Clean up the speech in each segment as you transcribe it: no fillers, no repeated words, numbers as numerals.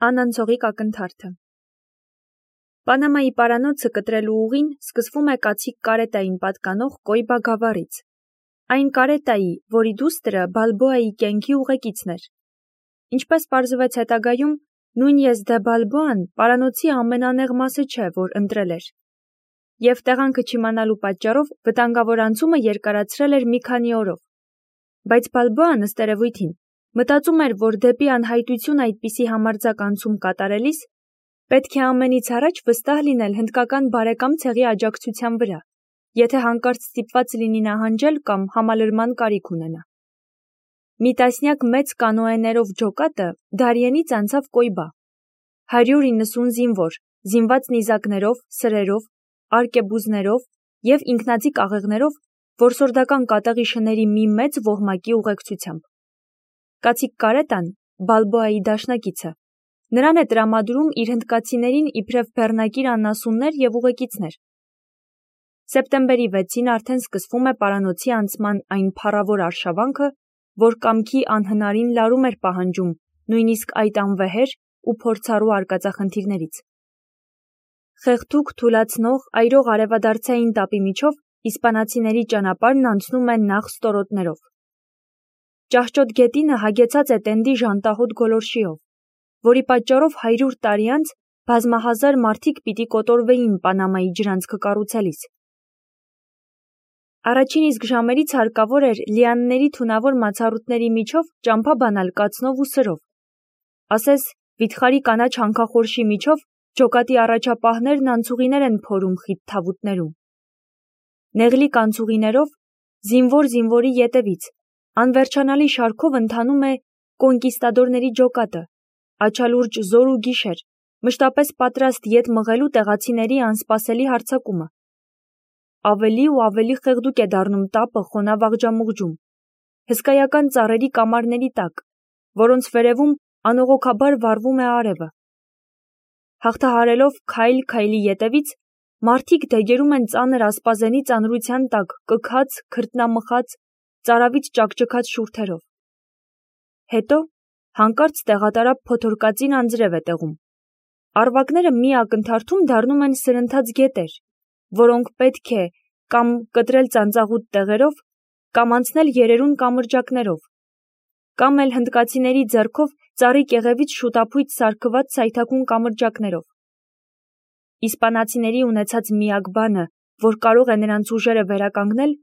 Անանցողիկ ակնթարթը Պանամայի պարանոցը կտրելու ուղին սկսվում է կացիկ կարետային պատկանող Կոյբա գավառից, այն կարետայի, որի դուստրը Բալբոայի կյանքի ուղեկիցն էր։ Ինչպես պարզվեց հետագայում, նույն Եզդե Բալբոան պարանոցի ամենանեղ մասը չէ, որ ընտրել էր, և տեղանքը չիմանալու պատճառով վտանգավոր անցումը երկարացրել էր մի քանի օրով, բայց Բալբոան ըստ երևույթին մտածում էր, որ դեպի անհայտություն այդպիսի համարձակ անցում կատարելիս պետք է ամենից առաջ վստահ լինել հնդկական բարեկամ ցեղի աջակցության վրա, եթե հանկարծ ստիպված լինի նահանջել կամ համալրման կարիք ունենա։ Մի տասնյակ մեծ կանոեներով ջոկատը Դարիենից անցավ Կոյբա, 190 զինվոր, զինված նիզակներով, սրերով, արկեբուզներով և ինքնաձիգ աղեղներով որսորդական կատաղի շների մի մեծ ոհմակի ուղեկցությամբ։ Կացիկ կարետան, Բալբոայի դաշնակիցը, նրան է տրամադրում իր հնդկացիներին իբրև բեռնակիր անասուններ և ուղեկիցներ։ Սեպտեմբերի 6-ին արդեն սկսվում է պարանոցի անցման այն փառավոր արշավանքը, որ կամքի անհնարին լարում էր պահանջում նույնիսկ այդ անվեհեր ու փորձառու արկածախնդիրներից։ Խեղդուկ, թուլացնող, այրող արևադարձային տապի միջով իսպանացիների ճանապարհն անցնում է նախ ստորոտներով։ Ճահճոտ գետինը հագեցած է տենդի ժանտահոտ գոլորշիով, որի պատճառով 100 տարի անց բազմահազար մարդիկ պիտի կոտորվեին Պանամայի ջրանցքը կառուցելիս։ Առաջին իսկ ժամերից հարկավոր էր լիանների թունավոր մացառուտների միջով ճամփա բանալ կացնով ու սրով, ասես վիթխարի կանաչ հանքախորշի միջով ջոկատի առաջապահներն անցուղիներ են փորում խիտ թավուտներում։ Նեղլիկ անցուղիներով, զինվոր զինվորի ետևից, անվերջանալի շարքով ընթանում է կոնկիստադորների ջոկատը, աչալուրջ զոր ու գիշեր, մշտապես պատրաստ ետ մղելու տեղացիների անսպասելի հարձակումը։ Ավելի ու ավելի խեղդուկ է դառնում տապը խոնավ աղջամուղջում, հսկայական ծառերի կամարների տակ, որոնց վերևում անողոքաբար վառվում է արևը։ Հաղթահարելով քայլ-քայլի ետևից, մարդիկ դեգերում են ծանր ասպազենի ծանրության տակ կքած, քրտնամխած, ծարավից ճաքճքած շուրթերով։ Հետո հանկարծ տեղատարափ փոթորկածին անձրև է տեղում։ Առվակները մի ակնթարթում դառնում են սրընթաց գետեր, որոնք պետք է կամ կտրել ծանծաղուտ տեղերով, կամ անցնել երերուն կամրջակներով, կամ էլ հնդկացիների ձեռքով ծառի կեղևից շուտափույթ սարքված սայթաքուն կամրջակներով։ Իսպանացիների ունեցած միակ բանը, որ կարող է նրանց ուժերը վերականգնել,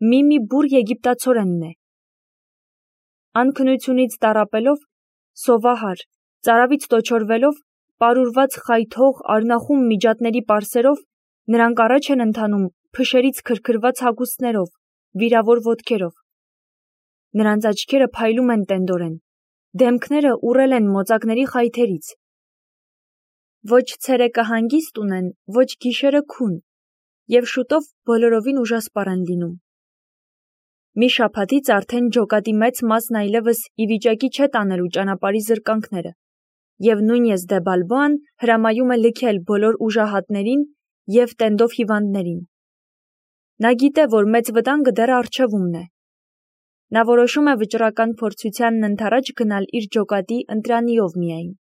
մի բուռ եգիպտացորենն է։ Անքնությունից տառապելով, սովահար, ծարավից տոչորվելով, պարուրված խայթող, արնախում միջատների պարսերով, նրանք առաջ են ընթանում փշերից քրքրված հագուստներով, վիրավոր ոտքերով։ Նրանց աչքերը փայլում են տենդորեն, դեմքները ուռել են մոծակների խայթերից։ Ոչ ցերեկը հանգիստ ունեն, ոչ գիշերը քուն, և շուտով բոլորովին ուժասպառ են լինում։ Մի շաբաթից արդեն ջոկատի մեծ մասն այլևս ի վիճակի չէ տանելու ճանապարհի զրկանքները, և նույն Եզդե Բալբոան հրամայում է լքել բոլոր ուժահատներին և տենդով հիվանդներին։ Նա գիտե, որ մեծ վտանգը դեռ առջևումն է։ Նա որոշում է վճռական փորձությանն ընդառաջ գնալ իր ջոկատի ընտրանիով միայն։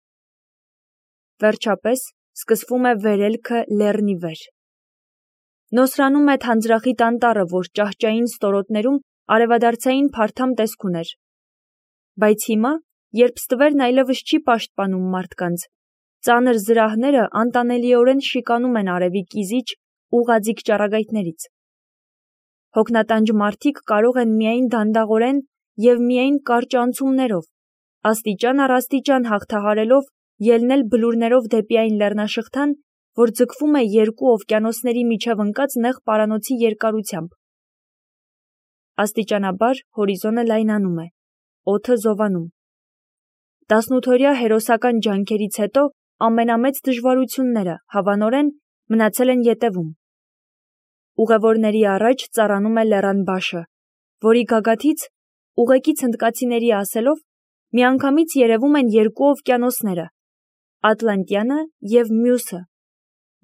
Վերջապես սկսվում է վերելքը լեռնի վեր։ Նոսրանում է թանձրախիտ անտառը, որ ճահճային ստորոտներում արևադարձային փարթամ տեսք ուներ։ Բայց հիմա, երբ ստվերն այլևս չի պաշտպանում մարդկանց, ծանր զրահները անտանելիորեն շիկանում են արևի կիզիչ, ուղղաձիգ ճառագայթներից։ Հոգնատանջ մարդիկ կարող են միայն դանդաղորեն և միայն կարճ անցումներով, աստիճան առ աստիճան հաղթահարելով ելնել բլուրներով դեպի այն լեռնաշղթան, որ ձգվում է երկու օվկիանոսների միջև ընկած նեղ պարանոցի երկարությամբ։ Աստիճանաբար հորիզոնը լայնանում է, օդը զովանում։ 18-օրյա հերոսական ջանքերից հետո ամենամեծ դժվարությունները, հավանորեն, մնացել են ետևում։ Ուղևորների առաջ ծառանում է լեռան բաշը, որի գագաթից, ուղեկից հնդկացիների ասելով, միանգամից երևում են երկու օվկիանոսները, Ատլանտյանը և մյուսը,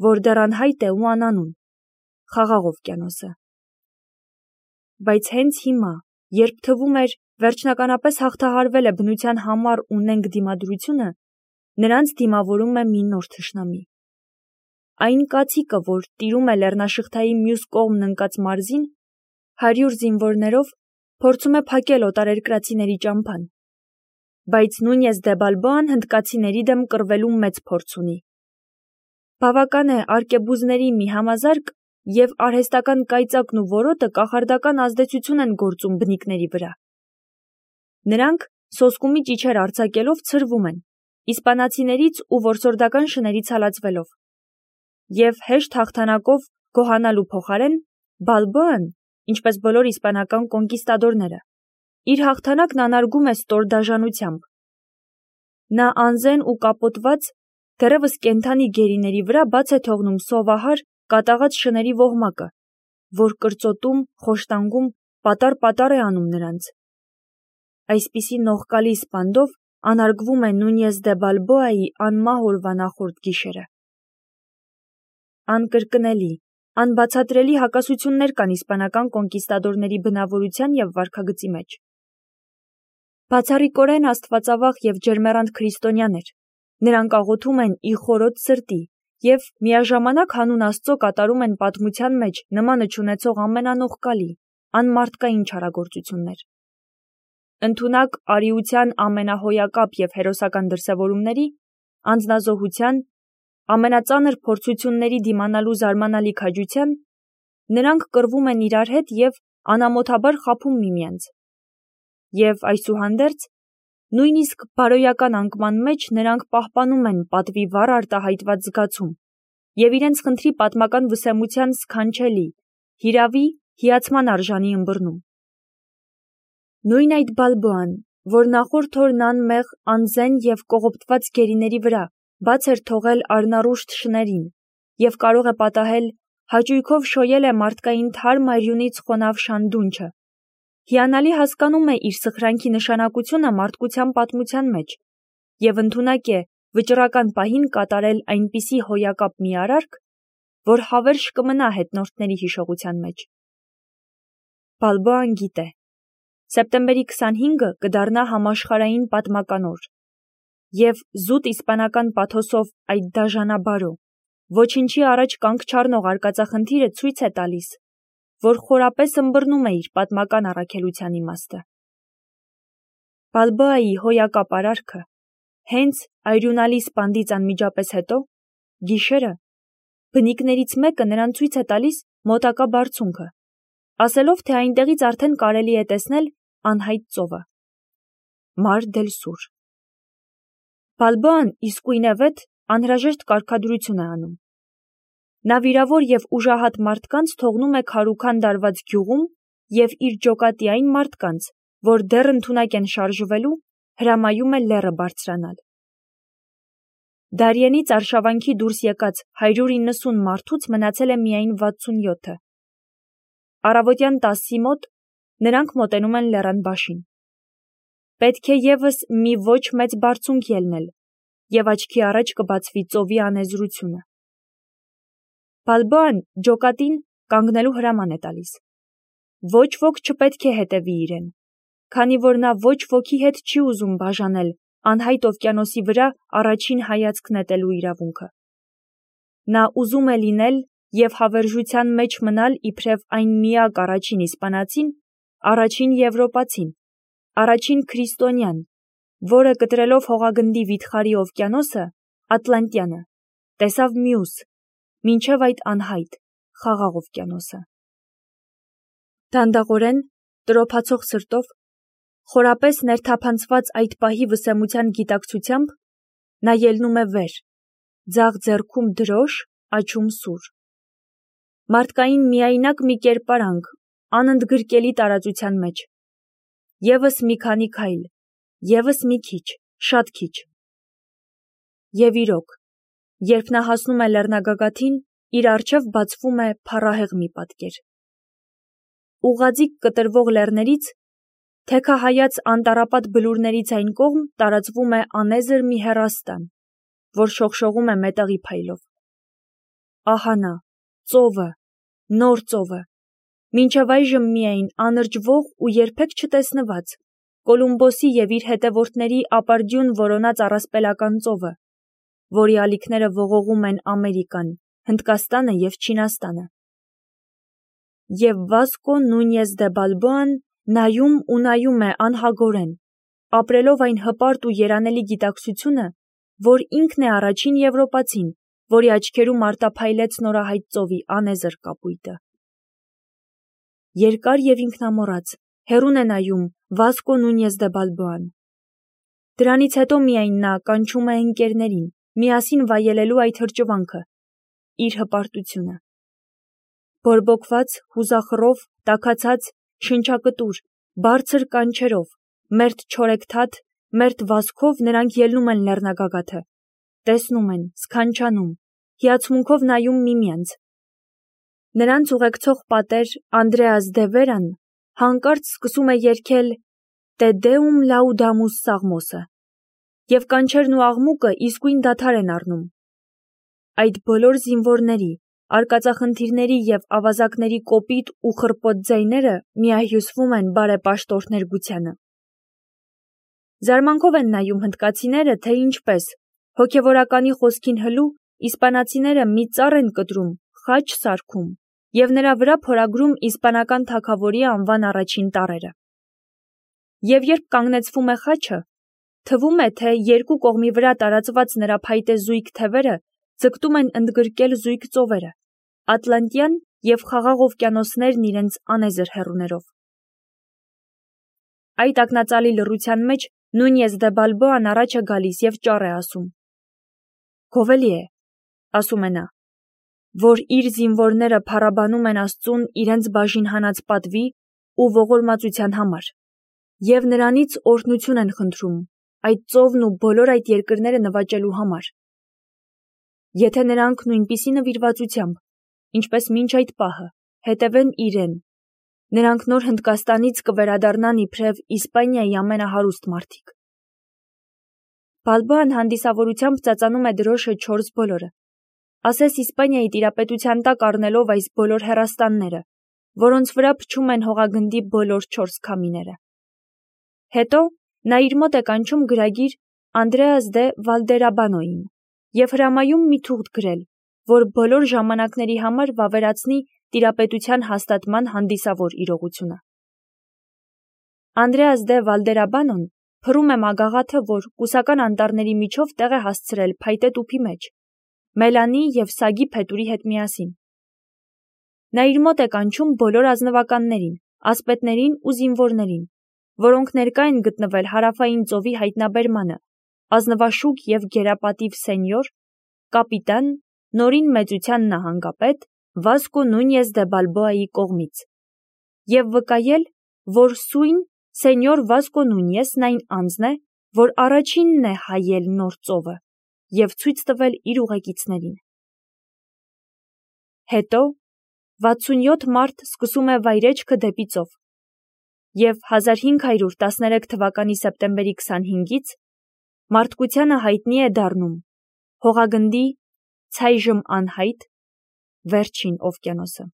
որ դեռ անհայտ է ու անանուն, Խաղաղ օվկիանոսը։ Բայց հենց հիմա, երբ թվում էր, վերջնականապես հաղթահարվել է բնության համառ ու նենգ դիմադրությունը, նրանց դիմավորում է մի նոր թշնամի։ Այն կացիկը, որ տիրում է լեռնաշղթայի մյուս կողմն ընկած մարզին, 100 զինվորներով փորձում է փակել օտարերկրացիների ճամփան, բայց Նունյես դե Բալբոան հնդկացիների դեմ կռվելու մեծ փորձ ունի։ Բավական է արկեբուզների մի համազարկ և արհեստական կայծակն ու որոտը կախարդական ազդեցություն են գործում բնիկների վրա։ Նրանք սոսկումի ճիչեր արձակելով ցրվում են, իսպանացիներից ու որսորդական շներից հալածվելով։ Եվ հեշտ հաղթանակով գոհանալու փոխարեն Բալբոան, ինչպես բոլոր իսպանական կոնկիստադորները, իր հաղթանակն անարգում է ստոր դաժանությամբ։ Նա անզեն ու կապոտված, դեռևս կենդանի գերիների վրա բաց է թողնում սովահար կատաղած շների ոհմակը, որ կրծոտում, խոշտանգում, պատառ-պատառ է անում նրանց։ Այսպիսի նողկալի սպանդով անարգվում է Նունյես դե Բալբոայի անմահ օրվա նախորդ գիշերը։ Անկրկնելի, անբացատրելի հակասություններ կան իսպանական կոնկիստադորների բնավորության և վարքագծի մեջ։ Բացառիկորեն աստվածավախ և ջերմեռանդ քրիստոնյաներ, նրանք աղոթում են ի խորոց սրտի և միաժամանակ հանուն Աստծո կատարում են պատմության մեջ նմանը չունեցող ամենանողկալի, անմարդկային չարագործություններ։ Ընդունակ արիության ամենահոյակապ և հերոսական դրսևորումների, անձնազոհության, ամենածանր փորձությունների դիմանալու զարմանալի քաջության, նրանք կռվում են իրար հետ և անամոթաբար խաբում միմյանց։ Եվ այսուհանդերձ, նույնիսկ բարոյական անկման մեջ նրանք պահպանում են պատվի վառ արտահայտված զգացում և իրենց խնդրի պատմական վսեմության սքանչելի, հիրավի, հիացման արժանի ըմբռնում։ Նույն այդ Բալբոան, որ նախորդ օրն անմեղ, անզեն և կողոպտված գերիների վրա բաց էր թողել առնառուշտ շներին և կարող է պատահել հաճույքով շոյել է մարդկային թարմ արյունից խոնավ շանդունչը, հիանալի հասկանում է իր սխրանքի նշանակությունը մարդկության պատմության մեջ և ընդունակ է վճռական պահին կատարել այնպիսի հոյակապ մի արարք, որ հավերժ կմնա հետնորդների հիշողության մեջ։ Բալբոան գիտե. սեպտեմբերի 25-ը կդառնա համաշխարհային պատմական օր, և զուտ իսպանական պաթոսով այդ դաժանաբարո, ոչնչի առաջ կանգ չառնող արկածախնդիրը ցույց է տալիս, որ խորապես ըմբռնում է իր պատմական առաքելության իմաստը։ Բալբոայի հոյակապ արարքը, հենց այրունալի սպանդից անմիջապես հետո, գիշերը, բնիկներից մեկը նրան ցույց է տալիս մոտակա բարձունքը, ասելով, թե այնտեղից արդեն կարելի է տեսնել անհայտ ծովը։ Մար դել Սուր։ Բալբոան իսկույնևեթ անհրաժեշտ կարգադրություն է անում։ Նա վիրավոր և ուժահատ մարդկանց թողնում է քարուքան դարված գյուղում և իր ջոկատի այն մարդկանց, որ դեռ ընդունակ են շարժվելու, հրամայում է լեռը բարձրանալ։ Դարիենից արշավանքի դուրս եկած 190 մարդուց մնացել է միայն 67-ը։ Առավոտյան 10-ի մոտ նրանք մոտենում են լեռան բաշին։ Պետք է ևս մի ոչ մեծ բարձունք ելնել, և աչքի առաջ կբացվի ծովի անեզրությունը։ Բալբոան ջոկատին կանգնելու հրաման է տալիս։ Ոչ ոք չպետք է հետևի իրեն, քանի որ նա ոչ ոքի հետ չի ուզում բաժանել անհայտ օվկիանոսի վրա առաջին հայացք նետելու իրավունքը։ Նա ուզում է լինել և հավերժության մեջ մնալ իբրև այն միակ առաջին իսպանացին, առաջին եվրոպացին, առաջին քրիստոնյան, որը կտրելով հողագնդի վիթխարի օվկիանոսը, Ատլանտյանը, տեսավ մյուս, մինչև այդ անհայտ, խաղաղ օվկիանոսը։ Դանդաղորեն, տրոփացող սրտով, խորապես ներթափանցված այդ պահի վսեմության գիտակցությամբ, նա ելնում է վեր, ձախ ձեռքում դրոշ, աջում սուր։ Մարդկային միայնակ մի կերպարանք, անընդգրկելի տարածության մեջ։ Եվս մի քանի քայլ, եվս մի քիչ, շատ քիչ։ Եվ իրոք, երբ նա հասնում է լեռնագագաթին, իր առջև բացվում է փառահեղ մի պատկեր։ Ուղղաձիգ կտրվող լեռներից, թեքահայաց անտառապատ բլուրներից այն կողմ տարածվում է անեզր մի հեռաստան, որ շողշողում է մետաղի փայլով։ Ահա նա, ծովը, նոր ծովը, մինչև այժմ միայն անրջվող ու երբեք չտեսնված, Կոլումբոսի և իր հետևորդների ապարդյուն որոնած առասպելական ծովը, որի ալիքները ողողում են Ամերիկան, Հնդկաստանը և Չինաստանը։ Եվ Վասկո Նունյես դե Բալբոան նայում ու նայում է անհագորեն, ապրելով այն հպարտ ու երանելի գիտակցությունը, որ ինքն է առաջին եվրոպացին, որի աչքերում արտափայլեց նորահայտ ծովի անեզր կապույտը։ Երկար և ինքնամոռաց, հեռուն է նայում Վասկո Նունյես դե Բալբոան։ Դրանից հետո միայն նա կանչում է ընկերներին, միասին վայելելու այդ հրճվանքը, իր հպարտությունը։ Բորբոքված, հուզախռով, տաքացած, շնչակտուր, բարձր կանչերով, մերթ չորեքթաթ, մերթ վազքով նրանք ելնում են լեռնագագաթը, տեսնում են, սքանչանում, հիացմունքով նայում միմյանց։ Նրանց ուղեկցող պատեր Անդրեաս դե Վերան հանկարծ սկսում է երգել «Te Deum laudamus» սաղմոսը, և կանչերն ու աղմուկը իսկույն դադար են առնում։ Այդ բոլոր զինվորների, արկածախնդիրների և ավազակների կոպիտ ու խռպոտ ձայները միահյուսվում են բարեպաշտորթ ներգությանը։ Զարմանքով են նայում հնդկացիները, թե ինչպես, հոգևորականի խոսքին հլու, իսպանացիները մի ծառ են կտրում, խաչ սարքում և նրա վրա փորագրում իսպանական թագավորի անվան առաջին տառերը։ Եվ երբ կանգնեցվում է խաչը, թվում է, թե երկու կողմի վրա տարածված նրա փայտե զույգ թևերը ձգտում են ընդգրկել զույգ ծովերը, Ատլանտյան և Խաղաղ օվկիանոսներն իրենց անեզր հեռուներով։ Այդ ակնածալի լռության մեջ Նունյես դե Բալբոան առաջ է գալիս և ճառ է ասում։ Գովելի է, ասում է նա, որ իր զինվորները փառաբանում են Աստծուն իրենց բաժին հանած պատվի ու ողորմածության համար, և նրանից օրհնություն են խնդրում այդ ծովն ու բոլոր այդ երկրները նվաճելու համար։ Եթե նրանք նույնպիսի նվիրվածությամբ, ինչպես մինչ այդ պահը, հետևեն իրեն, նրանք նոր Հնդկաստանից կվերադառնան իբրև Իսպանիայի ամենահարուստ մարդիկ։ Բալբոան հանդիսավորությամբ ծածանում է դրոշը 4 բոլորը, ասես Իսպանիայի տիրապետության տակ առնելով այս բոլոր հեռաստանները, որոնց վրա փչում են հողագնդի բոլոր 4 քամիները։ Հետո նա իր մոտ է կանչում գրագիր Անդրեաս դե Վալդերաբանոին և հրամայում մի թուղթ գրել, որ բոլոր ժամանակների համար վավերացնի տիրապետության հաստատման հանդիսավոր իրողությունը։ Անդրեաս դե Վալդերաբանոն փռում է մագաղաթը, որ կուսական անտառների միջով տեղ է հասցրել փայտե տուփի մեջ, Մելանի և Սագի փետուրի հետ միասին։ Նա իր մոտ է կանչում բոլոր ազնվականներին, ասպետներին ու զինվորներին, որոնք ներկա են գտնվել Հարավային ծովի հայտնաբերմանը, ազնվաշուք և գերապատիվ սենյոր, կապիտան, նորին մեծության նահանգապետ Վասկո Նունյես դե Բալբոայի կողմից, և վկայել, որ սույն սենյոր Վասկո Նունյեսն այն անձն է, որ առաջինն է հայել նոր ծովը, և ցույց տվել իր ուղեկիցներին։ Հետո 67 մարդ սկսում է վայրեջքը դեպի ծով, և 1513 թվականի սեպտեմբերի 25-ից մարդկությանը հայտնի է դառնում հողագնդի ցայժմ անհայտ վերջին օվկիանոսը։